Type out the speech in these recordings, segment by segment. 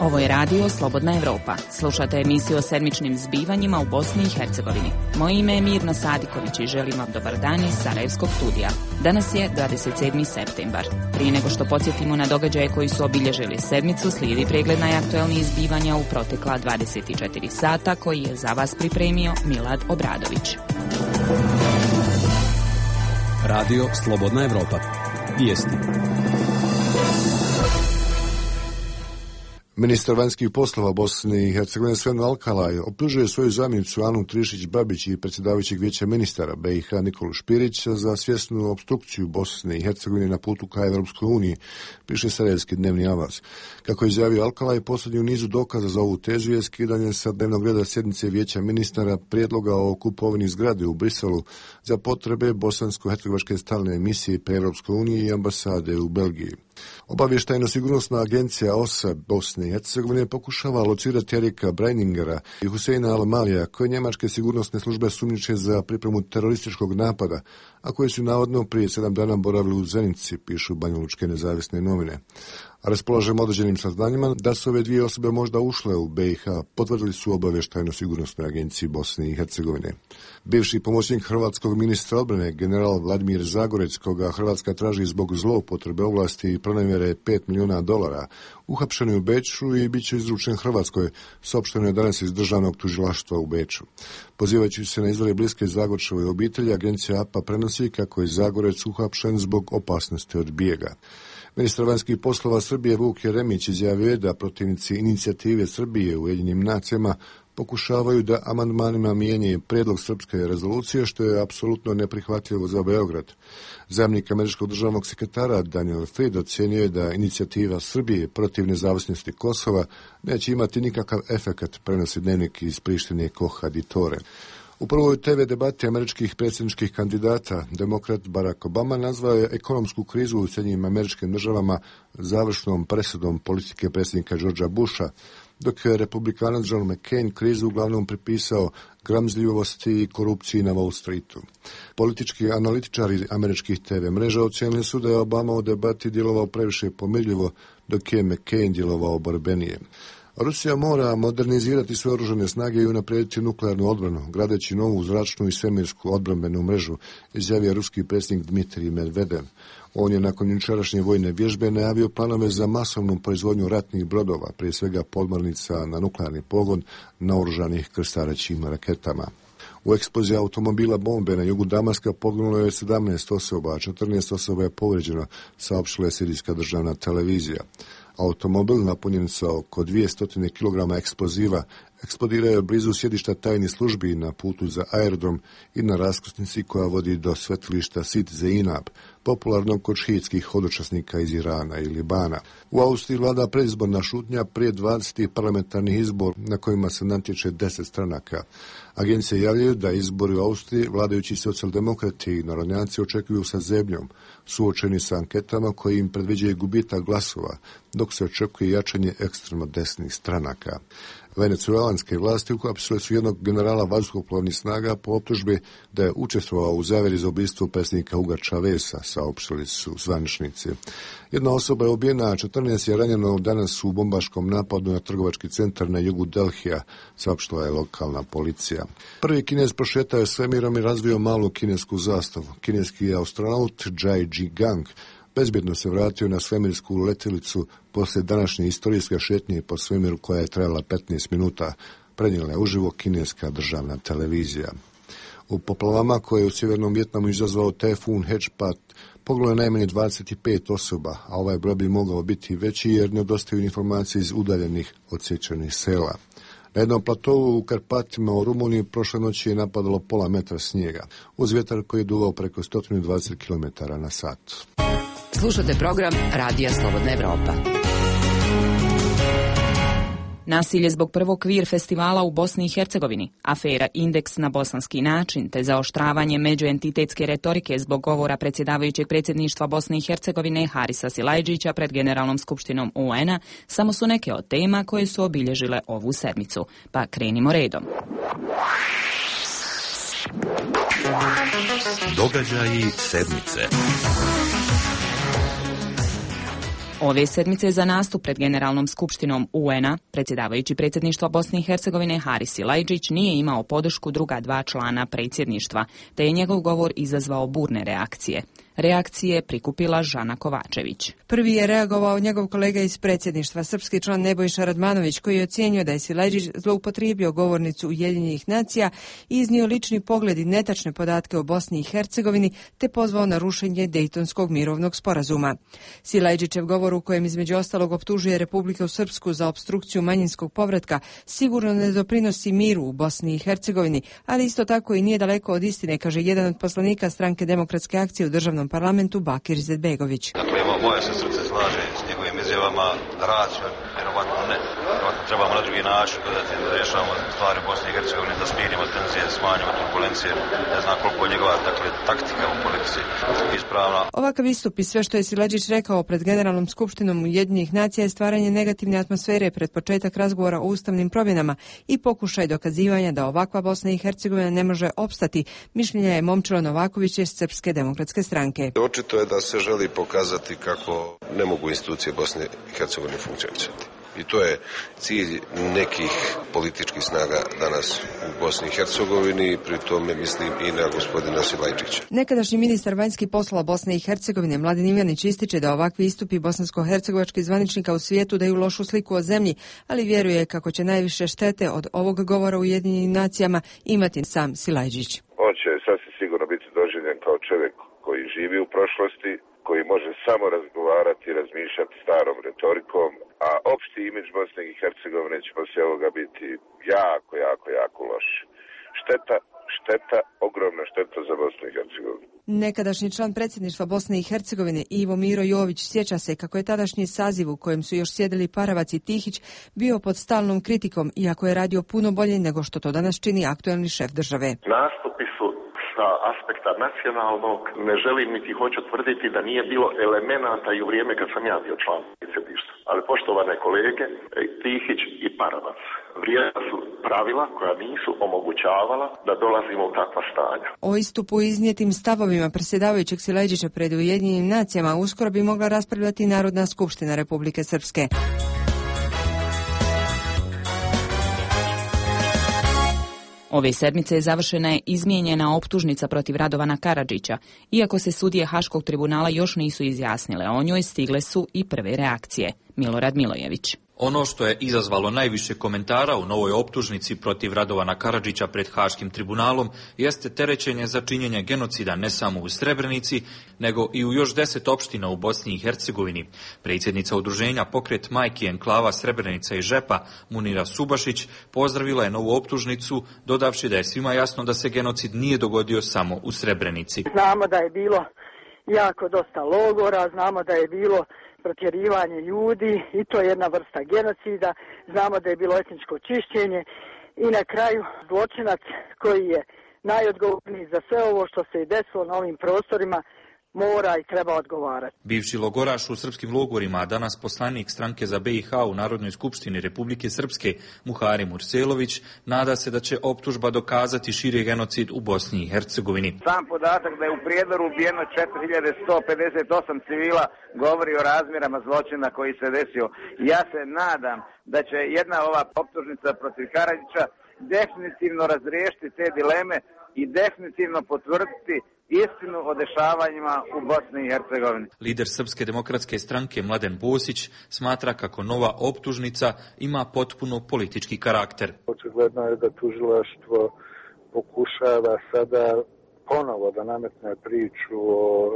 Ovo je radio Slobodna Evropa. Slušate emisiju o sedmičnim zbivanjima u Bosni i Hercegovini. Moje ime je Mirna Sadiković i želim vam dobar dan iz Sarajevskog studija. Danas je 27. septembar. Prije nego što podsjetimo na događaje koji su obilježili sedmicu, slijedi pregled najaktuelnijih zbivanja u protekla 24 sata koji je za vas pripremio Milad Obradović. Radio Slobodna Evropa. Vijesti. Ministar vanjskih poslova Bosne i Hercegovine Sven Alkalaj optužuje svoju zamjenicu Anu Trišić-Babić i predsjedavajućeg vijeća ministara BiH Nikolu Špirića za svjesnu opstrukciju Bosne i Hercegovine na putu ka Evropskoj uniji, piše sarajevski dnevni avaz. Kako je izjavio Alkalaj, posljednji u nizu dokaza za ovu tezu je skidanje sa dnevnog reda sjednice vijeća ministara prijedloga o kupovini zgrade u Briselu za potrebe bosansko-hercegovačke stalne emisije pri Evropskoj uniji i ambasade u Belgiji. Obavještajno-sigurnosna agencija OSA Bosne i Hercegovine pokušava locirati Erika Breiningera i Huseina Al-Malija, koje njemačke sigurnosne službe sumnjiče za pripremu terorističkog napada, a koje su navodno prije 7 dana boravili u Zenici, pišu banjalučke nezavisne novine. Raspolažemo određenim saznanjima da su ove dvije osobe možda ušle u BiH, potvrdili su obavještajno-sigurnosnoj agenciji Bosne i Hercegovine. Bivši pomoćnik hrvatskog ministra odbrane, general Vladimir Zagorec, koga Hrvatska traži zbog zloupotrebe ovlasti i pronevjere $5 milijuna, uhapšen je u Beču i bit će izručen Hrvatskoj, saopšteno je danas iz državnog tužilaštva u Beču. Pozivajući se na izvore bliske Zagorčevoj obitelji, agencija APA prenosi kako je Zagorec uhapšen zbog opasnosti od bijega. Ministar vanjskih poslova Srbije Vuk Jeremić izjavio je da protivnici inicijative Srbije u Ujedinjenim nacijama pokušavaju da amandmanima mijenjaju prijedlog srpske rezolucije, što je apsolutno neprihvatljivo za Beograd. Zamjenik američkog državnog sekretara Daniel Fried ocjenio je da inicijativa Srbije protiv nezavisnosti Kosova neće imati nikakav efekat, prenosi dnevnik iz Prištine Koha Ditore. U prvoj TV debati američkih predsjedničkih kandidata demokrat Barack Obama nazvao je ekonomsku krizu u Sjedinjenim Američkim Državama završnom presudom politike predsjednika Georgea Busha, dok je republikanac John McCain krizu uglavnom pripisao gramzljivosti i korupciji na Wall Streetu. Politički analitičari američkih TV mreža ocijenili su da je Obama u debati djelovao previše pomirljivo, dok je McCain djelovao borbenije. Rusija mora modernizirati sve oružane snage i unaprijediti nuklearnu odbranu, gradeći novu zračnu i svemirsku odbrambenu mrežu, izjavio ruski predsjednik Dmitrij Medvedev. On je nakon jučerašnje vojne vježbe najavio planove za masovnu proizvodnju ratnih brodova, prije svega podmornica na nuklearni pogon naoružanih krstarećim raketama. U eksploziji automobila bombe na jugu Damaska poginulo je 17 osoba, a 14 osoba je povrijeđeno, saopštila je sirijska državna televizija. Automobil napunjen sa oko 200 kg eksploziva eksplodirao je blizu sjedišta tajnih službi na putu za aerodrom i na raskrsnici koja vodi do svetilišta Sit Zeinab, popularnog kod šiitskih hodočasnika iz Irana i Libana. U Austriji vlada predizborna šutnja prije 20 parlamentarnih izbora na kojima se natječe 10 stranaka. Agencije javljaju da izbori u Austriji vladajući socijaldemokrati i narodnjaci očekuju sa zebnjom, suočeni sa anketama koji im predviđaju gubitak glasova, dok se očekuje jačanje ekstremno desnih stranaka. Venecuelanske vlasti uhapsile su jednog generala vazduhoplovnih snaga po optužbi da je učestvovao u zavjeri za ubistvo predsjednika Huga Chaveza, saopštili su zvaničnici. Jedna osoba je ubijena, a 14 je ranjeno danas u bombaškom napadu na trgovački centar na jugu Delhija, saopštila je lokalna policija. Prvi Kinez prošetao je svemirom i razvio malu kinesku zastavu. Kineski astronaut Zhai Zhigang bezbjedno se vratio na svemirsku letjelicu poslije današnje istorijske šetnje po svemiru koja je trajala 15 minuta, prenijela je uživo kineska državna televizija. U poplavama koje je u sjevernom Vjetnamu izazvao tajfun Hechpat poginulo je najmanje 25 osoba, a ovaj broj bi mogao biti veći jer nedostaju informacije iz udaljenih odsječenih sela. Na jednom platovu u Karpatima u Rumuniji prošle noći je napadalo pola metra snijega, uz vjetar koji je duvao preko 120 km na sat. Slušate program Radija Slobodna Evropa. Nasilje zbog prvog kvir festivala u Bosni i Hercegovini, afera Indeks na bosanski način te zaoštravanje međuentitetske retorike zbog govora predsjedavajućeg predsjedništva Bosne i Hercegovine Harisa Silajdžića pred Generalnom skupštinom UN-a samo su neke od tema koje su obilježile ovu sedmicu. Pa krenimo redom. Događaji sedmice. Ove sedmice za nastup pred Generalnom skupštinom UN-a predsjedavajući predsjedništva Bosne i Hercegovine Haris Silajdžić nije imao podršku druga dva člana predsjedništva, te je njegov govor izazvao burne reakcije. Reakcije prikupila Žana Kovačević. Prvi je reagovao njegov kolega iz predsjedništva, srpski član Nebojša Radmanović, koji je ocijenio da je Silajdžić zloupotrijebio govornicu Ujedinjenih nacija i iznio lični pogled i netačne podatke o Bosni i Hercegovini, te pozvao na rušenje Dejtonskog mirovnog sporazuma. Silajdžićev govor, u kojem između ostalog optužuje Republiku Srpsku za opstrukciju manjinskog povratka, sigurno ne doprinosi miru u Bosni i Hercegovini, ali isto tako i nije daleko od istine, kaže jedan od poslanika Stranke demokratske akcije u državnom parlamentu Bakir Izetbegović. Dakle, moje se srce slaže s njegovim izjavama, racio, vjerovatno ne. Vjerovatno trebamo na drugi način gledati da rješavamo stvari u Bosni i Hercegovini, da smirimo tenzije, smanjimo turbulencije. Ne znam koliko je njegova taktika u politici ispravna. Ovakav istup i sve što je Silajdžić rekao pred Generalnom skupštinom Ujedinjenih nacija je stvaranje negativne atmosfere pred početak razgovora o ustavnim promjenama i pokušaj dokazivanja da ovakva Bosna i Hercegovina ne može opstati, mišljenja je Momčilo Novaković iz Srpske demokratske stranke. Očito je da se želi pokazati kako ne mogu institucije Bosne i Hercegovine funkcionirati. I to je cilj nekih političkih snaga danas u Bosni i Hercegovini, pri tome mislim i na gospodina Silajdžića. Nekadašnji ministar vanjskih poslova Bosne i Hercegovine Mladen Ivanić ističe da ovakvi istupi bosansko-hercegovačkih zvaničnika u svijetu daju lošu sliku o zemlji, ali vjeruje kako će najviše štete od ovog govora u Ujedinjenim nacijama imati sam Silajdžić. On će sasvim sigurno biti doživljen kao čovjek koji živi u prošlosti, koji može samo razgovarati i razmišljati starom retorikom, a opšti imidž Bosne i Hercegovine će poslije ovoga biti jako loš. Šteta, ogromna šteta za Bosnu i Hercegovinu. Nekadašnji član predsjedništva Bosne i Hercegovine Ivo Miro Jović sjeća se kako je tadašnji saziv u kojem su još sjedili Paravac i Tihić bio pod stalnom kritikom, iako je radio puno bolje nego što to danas čini aktuelni šef države. Nastupi su sa aspekta nacionalnog, ne želim niti hoću tvrditi da nije bilo elemenata i u vrijeme kad sam ja bio član predsjedništva. Ali poštovane kolege, Tihić i Paravac vrijedna su pravila koja nisu omogućavala da dolazimo u takva stanja. O istupu i iznijetim stavovima predsjedavajućeg Silajdžića pred Ujedinjenim nacijama uskoro bi mogla raspravljati Narodna skupština Republike Srpske. Ove sedmice završena je izmijenjena optužnica protiv Radovana Karadžića. Iako se sudije Haškog tribunala još nisu izjasnile o njoj, stigle su i prve reakcije. Milorad Milojević. Ono što je izazvalo najviše komentara u novoj optužnici protiv Radovana Karadžića pred Haškim tribunalom jeste terećenje za činjenje genocida ne samo u Srebrenici, nego i u još 10 opština u Bosni i Hercegovini. Predsjednica udruženja Pokret majki enklava Srebrenica i Žepa, Munira Subašić, pozdravila je novu optužnicu, dodavši da je svima jasno da se genocid nije dogodio samo u Srebrenici. Znamo da je bilo jako dosta logora, znamo da je bilo protjerivanje ljudi i to je jedna vrsta genocida. Znamo da je bilo etničko čišćenje i na kraju zločinac koji je najodgovorniji za sve ovo što se je desilo na ovim prostorima mora i treba odgovarati. Bivši logoraš u srpskim logorima, a danas poslanik stranke za BiH u Narodnoj skupštini Republike Srpske, Muharem Urselović, nada se da će optužba dokazati širi genocid u Bosni i Hercegovini. Sam podatak da je u Prijedoru ubijeno 4158 civila govori o razmjerama zločina koji se desio. Ja se nadam da će jedna ova optužnica protiv Karadžića definitivno razriješiti te dileme i definitivno potvrditi istinu o dešavanjima u Bosni i Hercegovini. Lider Srpske demokratske stranke Mladen Bosić smatra kako nova optužnica ima potpuno politički karakter. Očigledno je da tužilaštvo pokušava sada ponovo da nametne priču o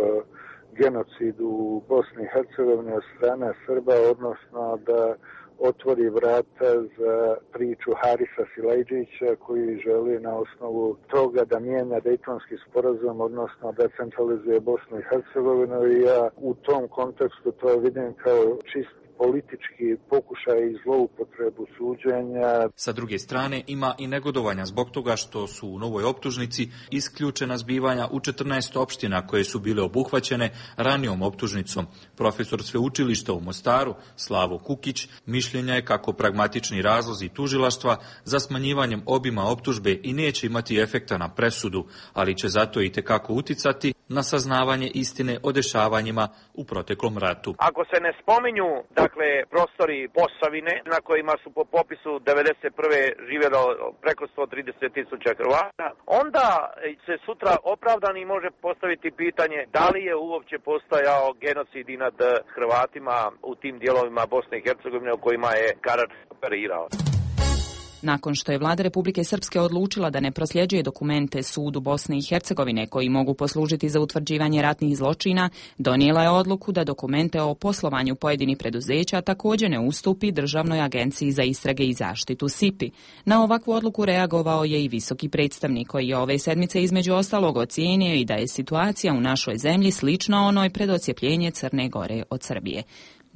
genocidu u Bosni i Hercegovini od strane Srba, odnosno da otvori vrata za priču Harisa Silajdžića koji želi na osnovu toga da mijenja Dejtonski sporazum, odnosno da centralizuje Bosnu i Hercegovinu, i ja u tom kontekstu to vidim kao čist politički pokušaj i zloupotrebu suđenja. Sa druge strane, ima i negodovanja zbog toga što su u novoj optužnici isključena zbivanja u 14 opština koje su bile obuhvaćene ranijom optužnicom. Profesor sveučilišta u Mostaru, Slavo Kukić, mišljenja je kako pragmatični razlozi tužilaštva za smanjivanjem obima optužbe i neće imati efekta na presudu, ali će zato i tekako uticati na saznavanje istine o dešavanjima u proteklom ratu. Ako se ne spominju, prostori Posavine na kojima su po popisu 1991. živjelo preko 130.000 Hrvata, onda se sutra opravdani može postaviti pitanje da li je uopće postojao genocid i nad Hrvatima u tim dijelovima Bosne i Hercegovine o kojima je Karadžić operirao. Nakon što je vlada Republike Srpske odlučila da ne prosljeđuje dokumente sudu Bosne i Hercegovine koji mogu poslužiti za utvrđivanje ratnih zločina, donijela je odluku da dokumente o poslovanju pojedinih preduzeća također ne ustupi Državnoj agenciji za istrage i zaštitu SIPI. Na ovakvu odluku reagovao je i visoki predstavnik koji je ove sedmice između ostalog ocijenio i da je situacija u našoj zemlji slična onoj pred odcjepljenje Crne Gore od Srbije.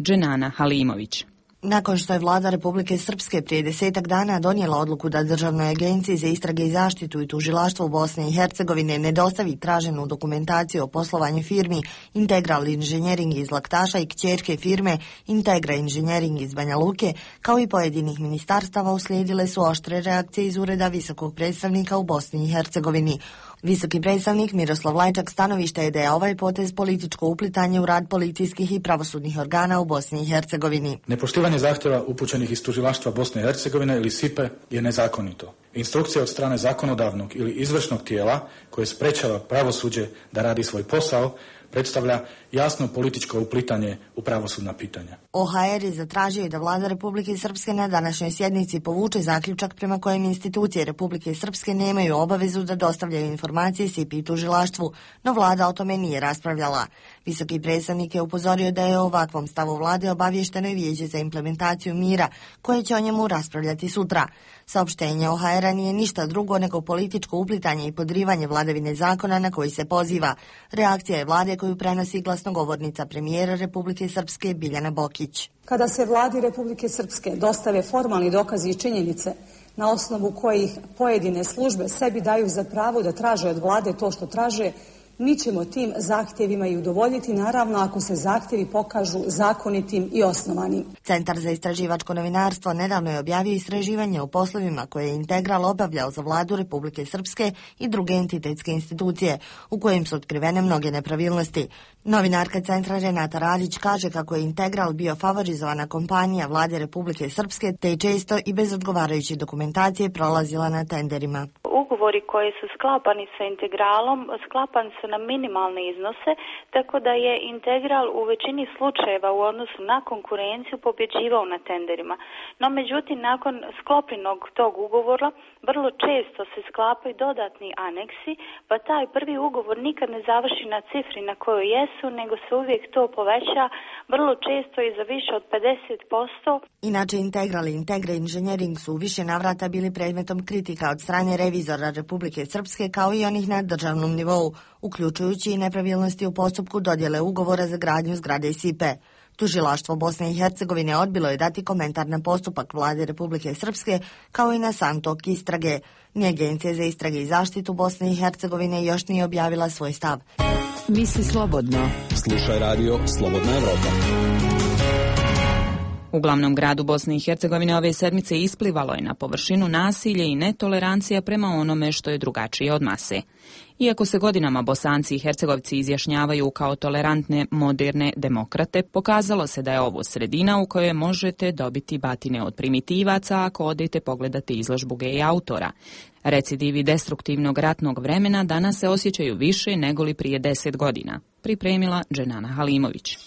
Dženana Halimović. Nakon što je vlada Republike Srpske prije 10 dana donijela odluku da Državnoj agenciji za istrage i zaštitu i tužilaštvo u Bosne i Hercegovine ne dostavi traženu dokumentaciju o poslovanju firmi Integral Inženjering iz Laktaša i kćerke firme Integra Inženjering iz Banja Luke, kao i pojedinih ministarstava, uslijedile su oštre reakcije iz ureda visokog predstavnika u Bosni i Hercegovini. Visoki predstavnik Miroslav Lajčak stanovišta je da je ovaj potez političko uplitanje u rad policijskih i pravosudnih organa u Bosni i Hercegovini. Nepoštivanje zahtjeva upućenih iz tužilaštva Bosne i Hercegovine ili SIPE je nezakonito. Instrukcija od strane zakonodavnog ili izvršnog tijela koje sprečava pravosuđe da radi svoj posao predstavlja jasno političko uplitanje u pravosudna pitanja. OHR je zatražio da vlada Republike Srpske na današnjoj sjednici povuče zaključak prema kojem institucije Republike Srpske nemaju obavezu da dostavljaju informacije SIPI i tužilaštvu, no vlada o tome nije raspravljala. Visoki predstavnik je upozorio da je o ovakvom stavu vlade obavješteno i Vijeće za implementaciju mira, koje će o njemu raspravljati sutra. Saopštenje OHR-a nije ništa drugo nego političko uplitanje i podrivanje vladavine zakona na koji se poziva. Reakcija je vlade koju prenosi glasnogovornica premijera Republike Srpske Biljana Bokić. Kada se vladi Republike Srpske dostave formalni dokazi i činjenice na osnovu kojih pojedine službe sebi daju za pravo da traže od vlade to što traže, mi ćemo tim zahtjevima i udovoljiti, naravno ako se zahtjevi pokažu zakonitim i osnovanim. Centar za istraživačko novinarstvo nedavno je objavio istraživanje o poslovima koje je Integral obavljao za vladu Republike Srpske i druge entitetske institucije, u kojim su otkrivene mnoge nepravilnosti. Novinarka centra Renata Radić kaže kako je Integral bio favorizovana kompanija vlade Republike Srpske, te je često i bez odgovarajuće dokumentacije prolazila na tenderima. Ugovori koji su sklapani sa Integralom sklapani su na minimalne iznose, tako da je Integral u većini slučajeva u odnosu na konkurenciju pobjeđivao na tenderima. No međutim, nakon sklopljenog tog ugovora vrlo često se sklapaju dodatni aneksi, pa taj prvi ugovor nikad ne završi na cifri na kojoj jesu, nego se uvijek to poveća, vrlo često i za više od 50%. Inače, Integral i Integra Inženjering su u više navrata bili predmetom kritika od strane revizora Republike Srpske, kao i onih na državnom nivou, uključujući i nepravilnosti u postupku dodjele ugovora za gradnju zgrade SIPE. Tužilaštvo Bosne i Hercegovine odbilo je dati komentar na postupak vlade Republike Srpske, kao i na sam tok istrage. Ni Agencija za istrage i zaštitu Bosne i Hercegovine još nije objavila svoj stav. Misli slobodno. Slušaj radio Slobodna Evropa. U glavnom gradu Bosne i Hercegovine ove sedmice isplivalo je na površinu nasilje i netolerancija prema onome što je drugačije od mase. Iako se godinama Bosanci i Hercegovci izjašnjavaju kao tolerantne, moderne demokrate, pokazalo se da je ovo sredina u kojoj možete dobiti batine od primitivaca ako odete pogledati izložbu gej autora. Recidivi destruktivnog ratnog vremena danas se osjećaju više nego li prije 10 godina, pripremila Dženana Halimović.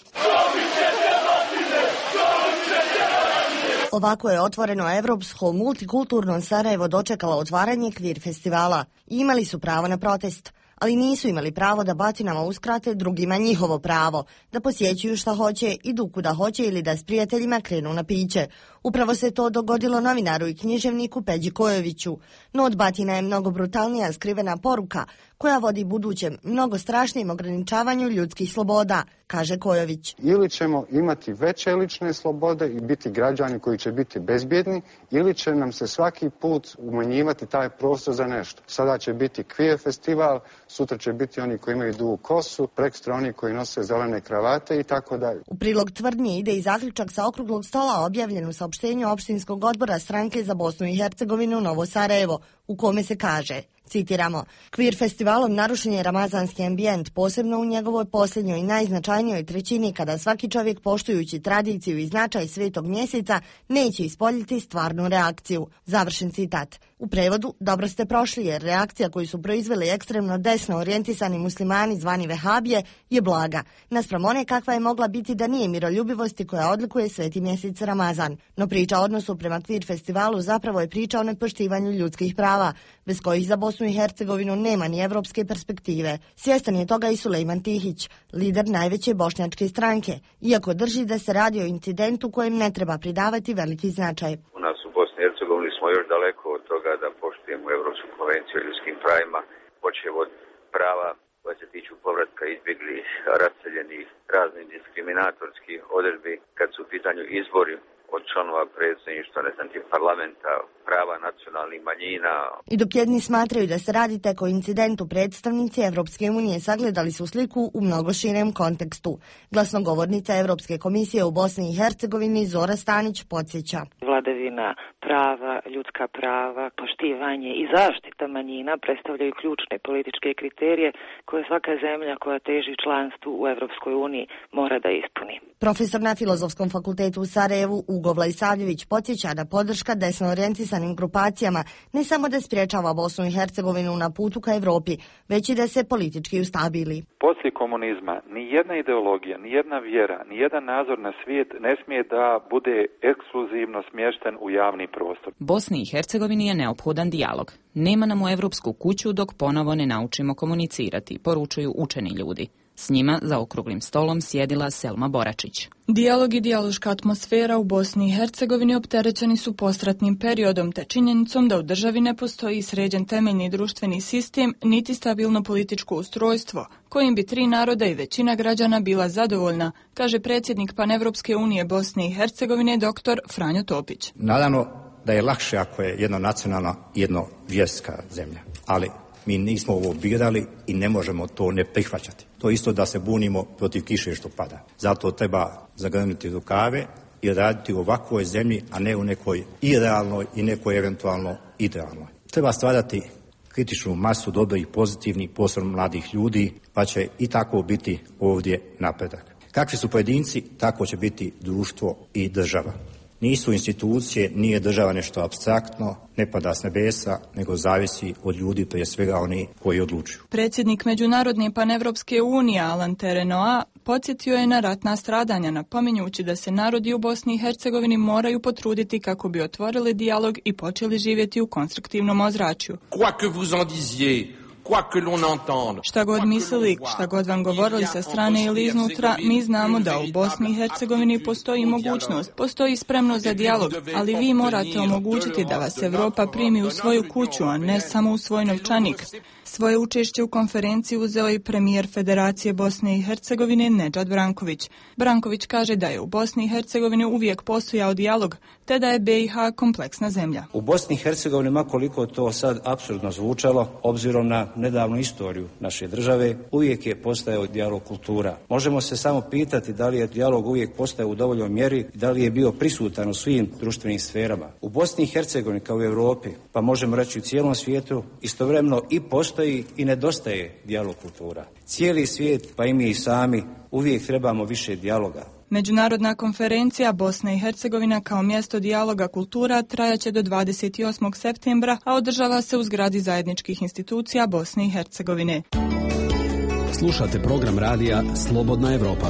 Ovako je otvoreno evropsko multikulturno Sarajevo dočekalo otvaranje kvir festivala. Imali su pravo na protest, ali nisu imali pravo da batinama uskrate drugima njihovo pravo, da posjećuju šta hoće, idu kuda hoće ili da s prijateljima krenu na piće. Upravo se to dogodilo novinaru i književniku Peđi Kojoviću, no od batina je mnogo brutalnija skrivena poruka koja vodi budućem mnogo strašnijem ograničavanju ljudskih sloboda, kaže Kojović. Ili ćemo imati veće lične slobode i biti građani koji će biti bezbjedni, ili će nam se svaki put umanjivati taj prostor za nešto. Sada će biti queer festival, sutra će biti oni koji imaju dugu kosu, prekstra oni koji nose zelene kravate i tako dalje. U prilog tvrdnje ide i zaključak sa okruglog stola objavljen u saopštenju opštinskog odbora stranke za Bosnu i Hercegovinu Novo Sarajevo, u kome se kaže, citiramo, Queer festivalom narušen je ramazanski ambijent, posebno u njegovoj posljednjoj i najznačajnijoj trećini, kada svaki čovjek, poštujući tradiciju i značaj svetog mjeseca, neće ispoljiti stvarnu reakciju. Završen citat. U prevodu, dobro ste prošli, jer reakcija koju su proizveli ekstremno desno orijentisani muslimani zvani vehabije je blaga, naspram one kakva je mogla biti da nije miroljubivosti koja odlikuje sveti mjesec Ramazan. No priča o odnosu prema Queer festivalu zapravo je priča o nepoštivanju ljudskih prava, bez kojih za Bosnu i Hercegovinu nema ni evropske perspektive. Svjestan je toga i Sulejman Tihić, lider najveće bošnjačke stranke, iako drži da se radi o incidentu kojem ne treba pridavati veliki značaj. U nas u Bosni i Hercegovini smo još daleko od toga da poštujemo Evropsku konvenciju o ljudskim pravima, počev od prava koja se tiču povratka izbjeglih, raseljenih, raznih diskriminatorskih odredbi kad su u pitanju izbori od članova predsjedništva, parlamenta, prava nacionalnih manjina. I dok jedni smatraju da se radi tek o incidentu, predstavnici Evropske unije sagledali su sliku u mnogo širem kontekstu. Glasnogovornica Evropske komisije u Bosni i Hercegovini Zora Stanić podsjeća. Vladavina prava, ljudska prava, poštivanje i zaštita manjina predstavljaju ključne političke kriterije koje svaka zemlja koja teži članstvu u Evropskoj uniji mora da ispuni. Profesor na Filozofskom fakultetu u Sarajevu Ugo Vlajsavljević podsjeća da podrška desno orijentisanim grupacijama ne samo da sprječava Bosnu i Hercegovinu na putu ka Evropi, već i da se politički ustabili. Poslije komunizma ni jedna ideologija, ni jedna vjera, ni jedan nadzor na svijet ne smije da bude ekskluzivno smješten u javni prostor. Bosni i Hercegovini je neophodan dijalog. Nema nam u Evropsku kuću dok ponovo ne naučimo komunicirati, poručuju učeni ljudi. S njima za okruglim stolom sjedila Selma Boračić. Dijalog i dijaloška atmosfera u Bosni i Hercegovini opterećeni su postratnim periodom te činjenicom da u državi ne postoji sređen temeljni društveni sistem niti stabilno političko ustrojstvo, kojim bi tri naroda i većina građana bila zadovoljna, kaže predsjednik Panevropske unije Bosne i Hercegovine dr. Franjo Topić. Naravno da je lakše ako je jedno nacionalna i jedno vjerska zemlja, ali mi nismo ovo birali i ne možemo to ne prihvaćati. To isto da se bunimo protiv kiše što pada. Zato treba zagrnuti rukave i raditi u ovakvoj zemlji, a ne u nekoj irealnoj i nekoj eventualno idealnoj. Treba stvarati kritičnu masu dobrih, pozitivnih, posebno mladih ljudi, pa će i tako biti ovdje napredak. Kakvi su pojedinci, tako će biti društvo i država. Nisu institucije, nije država nešto apstraktno, ne pada s nebesa, nego zavisi od ljudi, prije svega oni koji odlučuju. Predsjednik Međunarodne Panevropske unije Alan Terenoa podsjetio je na ratna stradanja, napominjući da se narodi u Bosni i Hercegovini moraju potruditi kako bi otvorili dijalog i počeli živjeti u konstruktivnom ozračju. Šta god mislili, šta god vam govorili sa strane ili iznutra, mi znamo da u Bosni i Hercegovini postoji mogućnost, postoji spremnost za dijalog, ali vi morate omogućiti da vas Evropa primi u svoju kuću, a ne samo u svoj novčanik. Svoje učešće u konferenciji uzeo i premijer Federacije Bosne i Hercegovine Nedžad Branković. Branković kaže da je u Bosni i Hercegovini uvijek postojao dijalog, te da je BiH kompleksna zemlja. U Bosni i Hercegovini, makoliko to sad apsurdno zvučalo, obzirom na nedavnu istoriju naše države, uvijek je postojao dijalog kultura. Možemo se samo pitati da li je dijalog uvijek postojao u dovoljnoj mjeri i da li je bio prisutan u svim društvenim sferama. U Bosni i Hercegovini kao u Europi, pa možemo reći u cijelom svijetu, istovremeno i postoji i nedostaje dijalog kultura. Cijeli svijet, pa i mi sami, uvijek trebamo više dijaloga. Međunarodna konferencija Bosna i Hercegovina kao mjesto dijaloga kultura trajaće do 28. septembra, a održava se u zgradi zajedničkih institucija Bosne i Hercegovine. Slušate program radija Slobodna Evropa.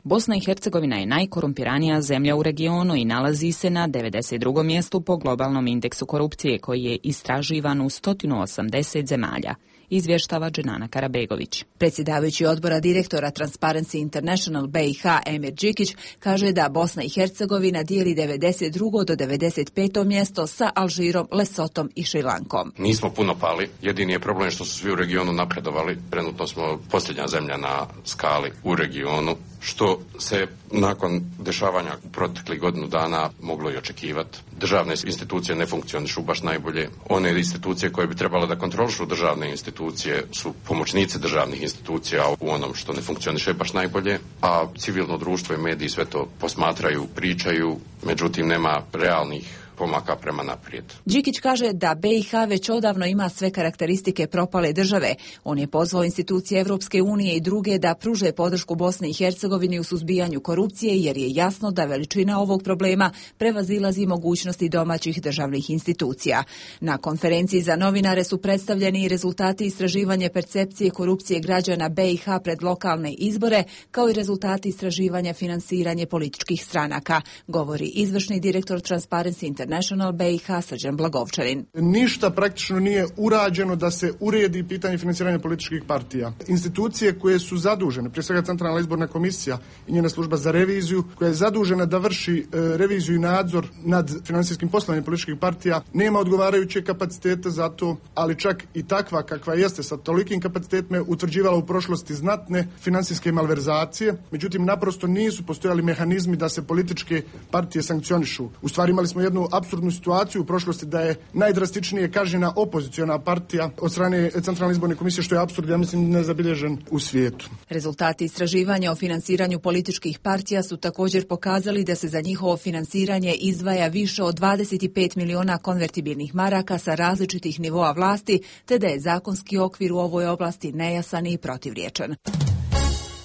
Bosna i Hercegovina je najkorumpiranija zemlja u regionu i nalazi se na 92. mjestu po globalnom indeksu korupcije koji je istraživan u 180 zemalja. izvještava Dženana Karabegović. Predsjedavajući odbora direktora Transparency International BiH Emir Đikić kaže da Bosna i Hercegovina dijeli 92. do 95. mjesto sa Alžirom, Lesotom i Šrilankom. Nismo puno pali, jedini je problem što su svi u regionu napredovali. Trenutno smo posljednja zemlja na skali u regionu, što se nakon dešavanja u proteklih godinu dana moglo i očekivati. Državne institucije ne funkcionišu baš najbolje. One institucije koje bi trebale da kontrolišu državne institucije su pomoćnici državnih institucija u onom što ne funkcioniše baš najbolje, a civilno društvo i mediji sve to posmatraju, pričaju, međutim nema realnih pomaka prema naprijed. Đikić kaže da BiH već odavno ima sve karakteristike propale države. On je pozvao institucije Evropske unije i druge da pruže podršku Bosni i Hercegovini u suzbijanju korupcije, jer je jasno da veličina ovog problema prevazilazi mogućnosti domaćih državnih institucija. Na konferenciji za novinare su predstavljeni i rezultati istraživanja percepcije korupcije građana BiH pred lokalne izbore, kao i rezultati istraživanja finansiranje političkih stranaka, govori izvršni direktor Transparency International BiH Srđan Blagovčanin. Ništa praktično nije urađeno da se uredi pitanje finansiranja političkih partija. Institucije koje su zadužene, prije svega Centralna izborna komisija i njena služba za reviziju, koja je zadužena da vrši reviziju i nadzor nad finansijskim poslovanjem političkih partija, nema odgovarajuće kapacitete za to, ali čak i takva kakva jeste sa tolikim kapacitetima je utvrđivala u prošlosti znatne finansijske malverzacije, međutim naprosto nisu postojali mehanizmi da se političke partije sankcionišu. U stvari imali smo jednu apsurdnu situaciju u prošlosti da je najdrastičnije kažnjena opoziciona partija od strane Centralne izborne komisije, što je apsurd, ja mislim, nezabilježen u svijetu. Rezultati istraživanja o finansiranju političkih partija su također pokazali da se za njihovo finansiranje izdvaja više od 25 miliona konvertibilnih maraka sa različitih nivoa vlasti, te da je zakonski okvir u ovoj oblasti nejasan i protivriječan.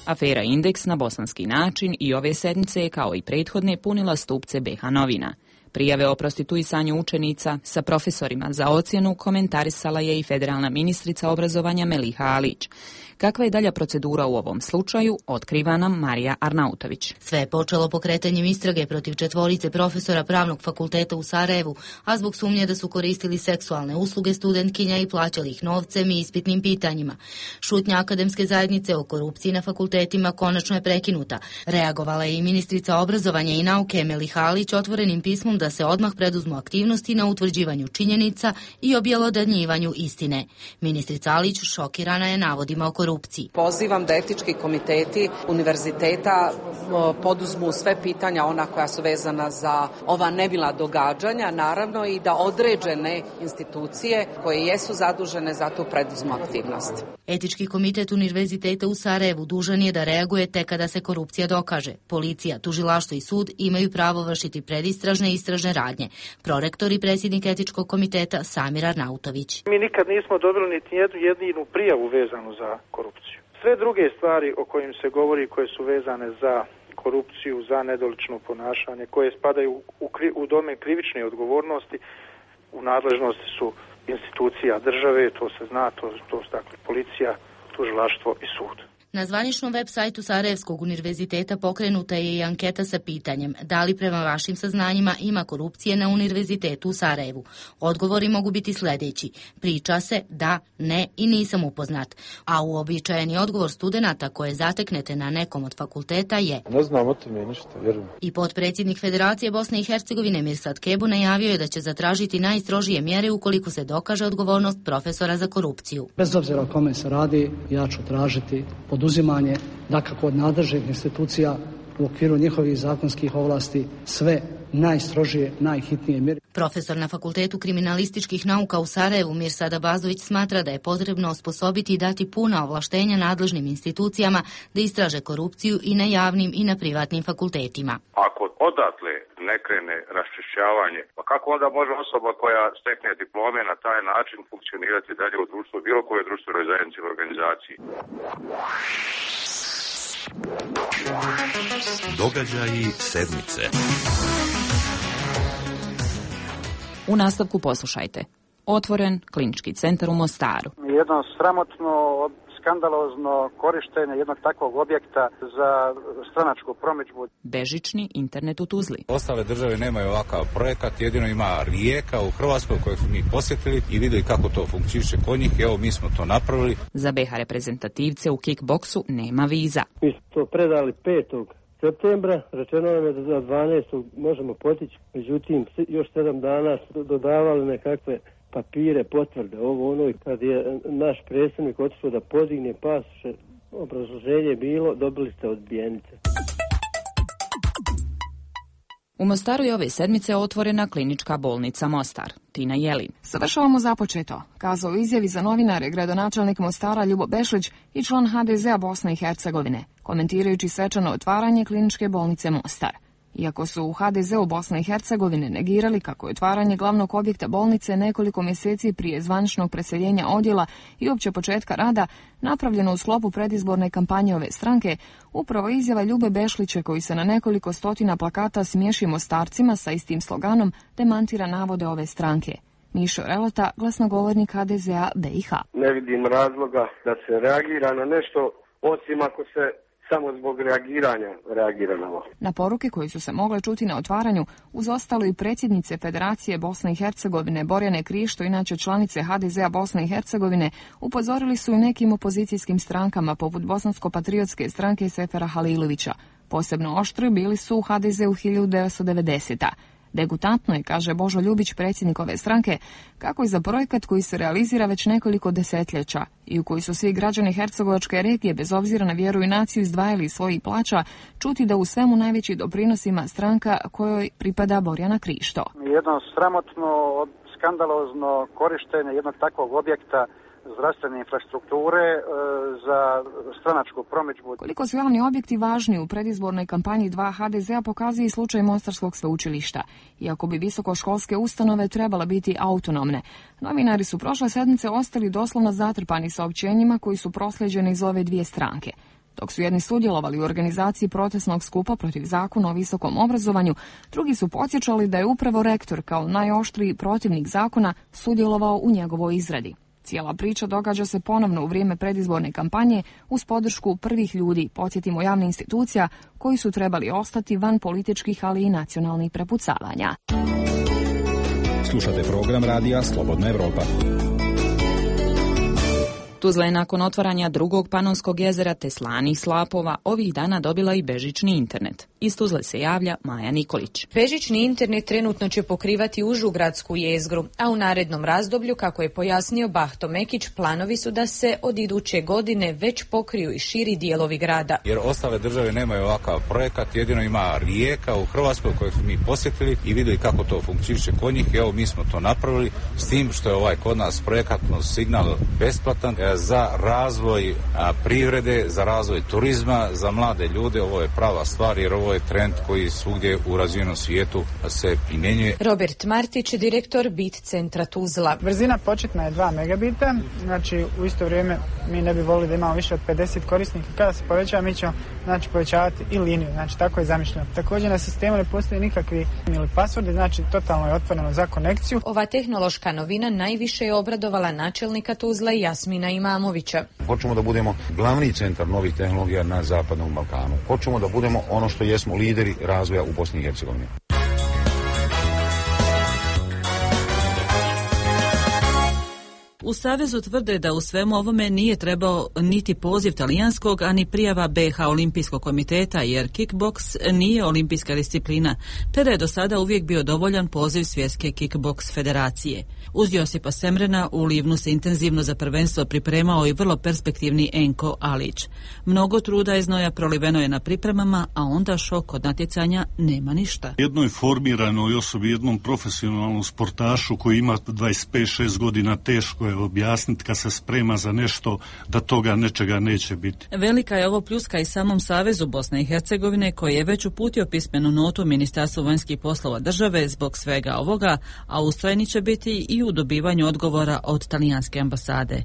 Afera Indeks na bosanski način i ove sedmice, kao i prethodne, punila stupce BiH novina. Prijave o prostituisanju učenica sa profesorima za ocjenu komentarisala je i federalna ministrica obrazovanja Meliha Alić. Kakva je dalja procedura u ovom slučaju, otkriva nam Marija Arnautović. Sve je počelo pokretanjem istrage protiv 4 profesora Pravnog fakulteta u Sarajevu, a zbog sumnje da su koristili seksualne usluge studentkinja i plaćali ih novcem i ispitnim pitanjima. Šutnja akademske zajednice o korupciji na fakultetima konačno je prekinuta. Reagovala je i ministrica obrazovanja i nauke Meliha Alić otvorenim pismom da se odmah preduzmu aktivnosti na utvrđivanju činjenica i objelodanjivanju istine. Ministrica Alić šokirana je navodima o korupciji. Pozivam da etički komiteti univerziteta poduzmu sve pitanja ona koja su vezana za ova nemila događanja, naravno i da određene institucije koje jesu zadužene za to preduzmu aktivnost. Etički komitet univerziteta u Sarajevu dužan je da reaguje tek kada se korupcija dokaže. Policija, tužilaštvo i sud imaju pravo vršiti predistražne i istražne radnje. Prorektor i predsjednik etičkog komiteta Samir Arnautović. Mi nikad nismo dobili niti jednu prijavu vezanu za korupciju. Sve druge stvari o kojim se govori, koje su vezane za korupciju, za nedolično ponašanje, koje spadaju u domen krivične odgovornosti, u nadležnosti su institucija države, to se zna, to su dakle policija, tužilaštvo i sud. Na zvaničnom web sajtu Sarajevskog univerziteta pokrenuta je i anketa sa pitanjem da li prema vašim saznanjima ima korupcije na univerzitetu u Sarajevu. Odgovori mogu biti sljedeći: priča se, da, ne i nisam upoznat. A uobičajeni odgovor studenata koje zateknete na nekom od fakulteta je: ne znam o tome ništa, vjerujem. I potpredsjednik Federacije Bosne i Hercegovine Mirsad Kebu najavio je da će zatražiti najstrožije mjere ukoliko se dokaže odgovornost profesora za korupciju. Bez obzira o kome se radi, ja ću tražiti poduzimanje, dakako od nadležnih institucija u okviru njihovih zakonskih ovlasti, sve najstrožije, najhitnije mjere. Profesor na Fakultetu kriminalističkih nauka u Sarajevu Mirsad Abazović smatra da je potrebno osposobiti i dati puna ovlaštenja nadležnim institucijama da istraže korupciju i na javnim i na privatnim fakultetima. Ako odatle ne krene raščišćavanje, pa kako onda može osoba koja stekne diplome na taj način funkcionirati dalje u društvu, bilo koje društvenoj zajednici ili organizaciji? Događaji sedmice. U nastavku poslušajte. Otvoren klinički centar u Mostaru. Jedno sramotno skandalozno korištenje jednog takvog objekta za stranačku promidžbu. Bežični internet u Tuzli. Ostale države nemaju ovakav projekat, jedino ima Rijeka u Hrvatskoj koju smo mi posjetili i vidjeli kako to funkcioniše kod njih. Evo, mi smo to napravili. Za BiH reprezentativce u kickboksu nema viza. Mi smo to predali 5. septembra, rečeno nam je da za 12. možemo potići, međutim još 7 dana su dodavali nekakve papire, potvrde, ovo ono, i kad je naš predsjednik otišao da podigne pasoše, obrazloženje je bilo, dobili ste odbijenice. U Mostaru je ove sedmice otvorena klinička bolnica Mostar. Tina Jelin. Završavamo započeto, kazao izjavi za novinare gradonačelnik Mostara Ljubo Bešlić i član HDZ-a Bosne i Hercegovine, komentirajući svečano otvaranje kliničke bolnice Mostar. Iako su u HDZ-u Bosne i Hercegovine negirali kako je otvaranje glavnog objekta bolnice nekoliko mjeseci prije zvaničnog preseljenja odjela i uopće početka rada napravljeno u sklopu predizborne kampanje ove stranke, upravo izjava Ljube Bešlića, koji se na nekoliko stotina plakata smiješi Mostarcima sa istim sloganom, demantira navode ove stranke. Mišo Relota, glasnogovornik HDZ-a BiH. Ne vidim razloga da se reagira na nešto, osim ako se samo zbog reagira na ovo. Na poruke koji su se mogle čuti na otvaranju, uz ostalo i predsjednice Federacije Bosne i Hercegovine Borjane Krišto, inače članice HDZ-a Bosne i Hercegovine, upozorili su i nekim opozicijskim strankama poput Bosansko-patriotske stranke Sefera Halilovića. Posebno oštri bili su u HDZ-u 1990. Degutantno je, kaže Božo Ljubić, predsjednik ove stranke, kako i za projekat koji se realizira već nekoliko desetljeća i u koji su svi građani hercegovačke regije, bez obzira na vjeru i naciju, izdvajali iz svojih plaća, čuti da u svemu najveći doprinos ima stranka kojoj pripada Borjana Krišto. Jedno sramotno, skandalozno korištenje jednog takvog objekta zdravstvene infrastrukture za stranačku promidžbu. Koliko su javni objekti važni u predizbornoj kampanji 2 HDZ-a pokazuje i slučaj Mostarskog sveučilišta. Iako bi visokoškolske ustanove trebala biti autonomne, novinari su prošle sedmice ostali doslovno zatrpani saopćenjima koji su proslijeđeni iz ove dvije stranke. Dok su jedni sudjelovali u organizaciji protestnog skupa protiv zakona o visokom obrazovanju, drugi su podsjećali da je upravo rektor kao najoštriji protivnik zakona sudjelovao u njegovoj izradi. Cijela priča događa se ponovno u vrijeme predizborne kampanje uz podršku prvih ljudi, podsjetimo, javnih institucija koji su trebali ostati van političkih, ali i nacionalnih prepucavanja. Slušate program radija Slobodna Evropa. Tuzla je nakon otvaranja drugog Panonskog jezera te slanih slapova ovih dana dobila i bežični internet. Iz Tuzle se javlja Maja Nikolić. Bežični internet trenutno će pokrivati užu gradsku jezgru, a u narednom razdoblju, kako je pojasnio Bahto Mekić, planovi su da se od iduće godine već pokriju i širi dijelovi grada. Jer ostale države nemaju ovakav projekat, jedino ima Rijeka u Hrvatskoj koju smo mi posjetili i vidjeli kako to funkcioniše kod njih. Evo, mi smo to napravili s tim što je ovaj kod nas projekatno signal besplatan za razvoj privrede, za razvoj turizma, za mlade ljude. Ovo je prava stvar jer ovo je trend koji svugdje u razvijenom svijetu se primjenjuje. Robert Martić, direktor Bit centra Tuzla. Brzina početna je 2 megabita, znači u isto vrijeme mi ne bi volili da imamo više od 50 korisnika. Kada se povećava, mi ćemo povećavati i liniju, znači tako je zamišljeno. Također na sistemu ne postoji nikakvi ili pasvordi, znači totalno je otvoreno za konekciju. Ova tehnološka novina najviše je obradovala načelnika Tuzla Jasmina Imamovića. Hoćemo da budemo glavni centar novih tehnologija na Zapadnom Balkanu. Hoćemo da budemo ono što jesmo, lideri razvoja u Bosni i Hercegovini. U Savezu tvrde da u svemu ovome nije trebao niti poziv talijanskog, a ni prijava BiH Olimpijskog komiteta, jer kickboks nije olimpijska disciplina, te da je do sada uvijek bio dovoljan poziv Svjetske kickboks federacije. Uz Josipa Semrena u Livnu se intenzivno za prvenstvo pripremao i vrlo perspektivni Enko Alić. Mnogo truda i znoja proliveno je na pripremama, a onda šok od natjecanja nema ništa. Jednoj formiranoj osobi, jednom profesionalnom sportašu koji ima 25-6 godina, teško je objasniti kad se sprema za nešto da toga nečega neće biti. Velika je ovo pljuska i samom Savezu Bosne i Hercegovine, koji je već uputio pismenu notu Ministarstvu vanjskih poslova države zbog svega ovoga, a ustrajni će biti i u dobivanju odgovora od talijanske ambasade.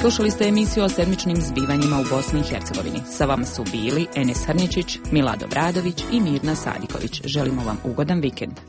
Slušali ste emisiju o sedmičnim zbivanjima u Bosni i Hercegovini. Sa vama su bili Enes Hrničić, Milado Bradović i Mirna Sadiković. Želimo vam ugodan vikend.